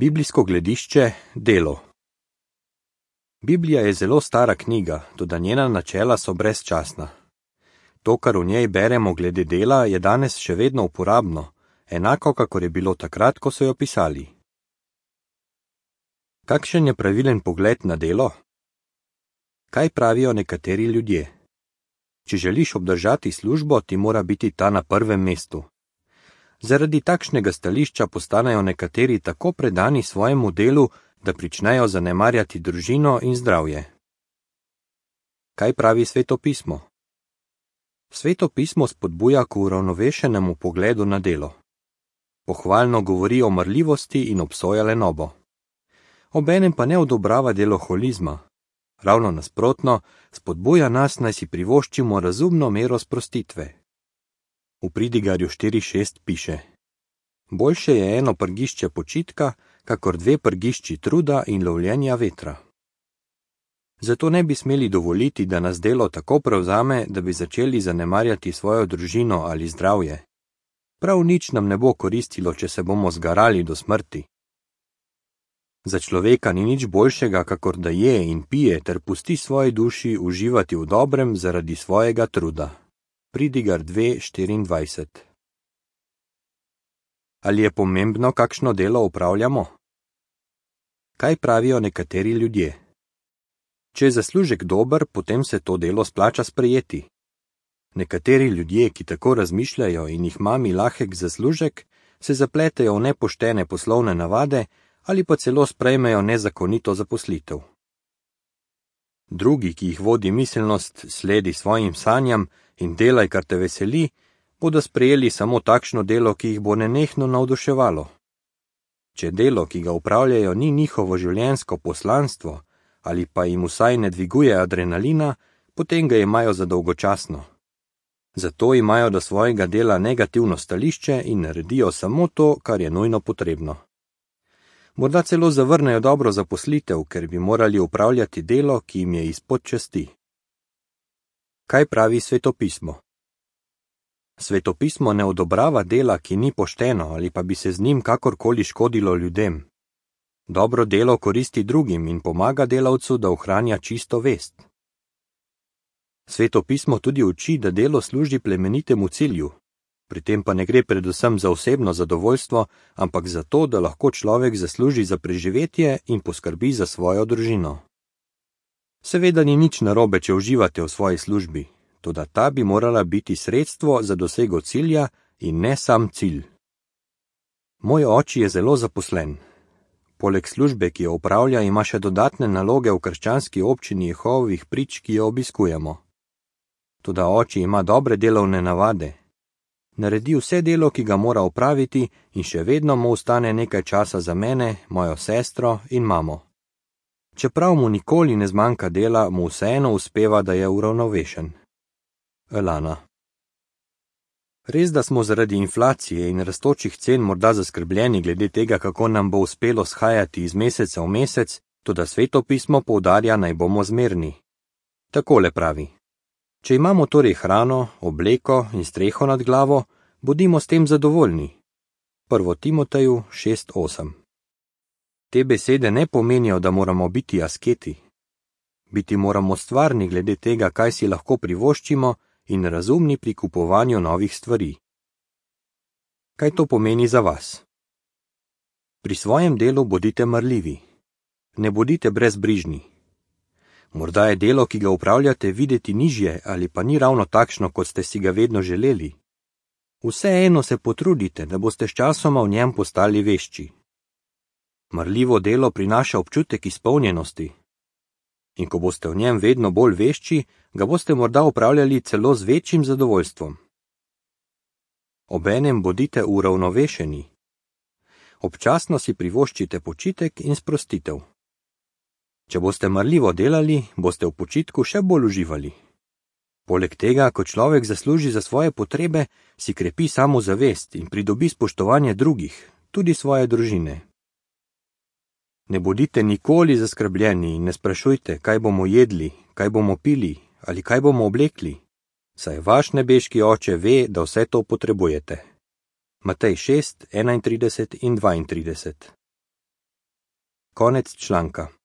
Biblijsko gledišče, delo. Biblija je zelo stara knjiga, toda njena načela so brezčasna. To, kar v njej beremo glede dela, je danes še vedno uporabno, enako kakor je bilo takrat, ko so jo pisali. Kakšen je pravilen pogled na delo? Kaj pravijo nekateri ljudje? Če želiš obdržati službo, ti mora biti ta na prvem mestu. Zaradi takšnega stališča postanejo nekateri tako predani svojemu delu, da pričnejo zanemarjati družino in zdravje. Kaj pravi Sveto pismo? Sveto pismo spodbuja k uravnovešenemu pogledu na delo. Pohvalno govori o marljivosti in obsoja lenobo. Obenem pa ne odobrava deloholizma. Ravno nasprotno, spodbuja nas, naj si privoščimo razumno mero sprostitve. V Pridigarju 4.6 piše: Boljše je eno prgišče počitka, kakor dve prgišči truda in lovljenja vetra. Zato ne bi smeli dovoliti, da nas delo tako prevzame, da bi začeli zanemarjati svojo družino ali zdravje. Prav nič nam ne bo koristilo, če se bomo zgarali do smrti. Za človeka ni nič boljšega, kakor da je in pije ter pusti svoji duši uživati v dobrem zaradi svojega truda. Pridigar 2.24. Ali je pomembno, kakšno delo opravljamo? Kaj pravijo nekateri ljudje? Če je zaslužek dober, potem se to delo splača sprejeti. Nekateri ljudje, ki tako razmišljajo in jih mami lahek zaslužek, se zapletejo v nepoštene poslovne navade ali pa celo sprejmejo nezakonito zaposlitev. Drugi, ki jih vodi miselnost, sledi svojim sanjam in delaj, kar te veseli, bodo sprejeli samo takšno delo, ki jih bo nenehno navduševalo. Če delo, ki ga upravljajo, ni njihovo življenjsko poslanstvo ali pa jim vsaj ne dviguje adrenalina, potem ga imajo za dolgočasno. Zato imajo do svojega dela negativno stališče in naredijo samo to, kar je nujno potrebno. Morda celo zavrnejo dobro zaposlitev, ker bi morali upravljati delo, ki jim je izpod časti. Kaj pravi Sveto pismo? Sveto pismo ne odobrava dela, ki ni pošteno ali pa bi se z njim kakorkoli škodilo ljudem. Dobro delo koristi drugim in pomaga delavcu, da ohranja čisto vest. Sveto pismo tudi uči, da delo služi plemenitemu cilju. Pri tem pa ne gre predvsem za osebno zadovoljstvo, ampak za to, da lahko človek zasluži za preživetje in poskrbi za svojo družino. Seveda ni nič narobe, če uživate v svoji službi, toda ta bi morala biti sredstvo za dosego cilja in ne sam cilj. Moj oči je zelo zaposlen. Poleg službe, ki jo opravlja, ima še dodatne naloge v krščanski občini Jehovovih prič, ki jo obiskujemo. Toda oči ima dobre delovne navade. Naredi vse delo, ki ga mora opraviti, in še vedno mu ostane nekaj časa za mene, mojo sestro in mamo. Čeprav mu nikoli ne zmanjka dela, mu vseeno uspeva, da je uravnovešen. Elana. Res, da smo zaradi inflacije in rastočih cen morda zaskrbljeni glede tega, kako nam bo uspelo shajati iz meseca v mesec, toda Sveto pismo poudarja, naj bomo zmerni. Takole pravi: Če imamo torej hrano, obleko in streho nad glavo, bodimo s tem zadovoljni. 1. Timoteju 6.8. Te besede ne pomenijo, da moramo biti asketi. Biti moramo stvarni glede tega, kaj si lahko privoščimo, in razumni pri kupovanju novih stvari. Kaj to pomeni za vas? Pri svojem delu bodite marljivi. Ne bodite brezbrižni. Morda je delo, ki ga upravljate, videti nižje ali pa ni ravno takšno, kot ste si ga vedno želeli. Vseeno se potrudite, da boste sčasoma v njem postali vešči. Marljivo delo prinaša občutek izpolnjenosti. In ko boste v njem vedno bolj vešči, ga boste morda upravljali celo z večjim zadovoljstvom. Obenem bodite uravnovešeni. Občasno si privoščite počitek in sprostitev. Če boste marljivo delali, boste v počitku še bolj uživali. Poleg tega, ko človek zasluži za svoje potrebe, si krepi samozavest in pridobi spoštovanje drugih, tudi svoje družine. Ne bodite nikoli zaskrbljeni in ne sprašujte, kaj bomo jedli, kaj bomo pili ali kaj bomo oblekli, saj vaš nebeški Oče ve, da vse to potrebujete. Matej 6, 31 in 32. Konec članka.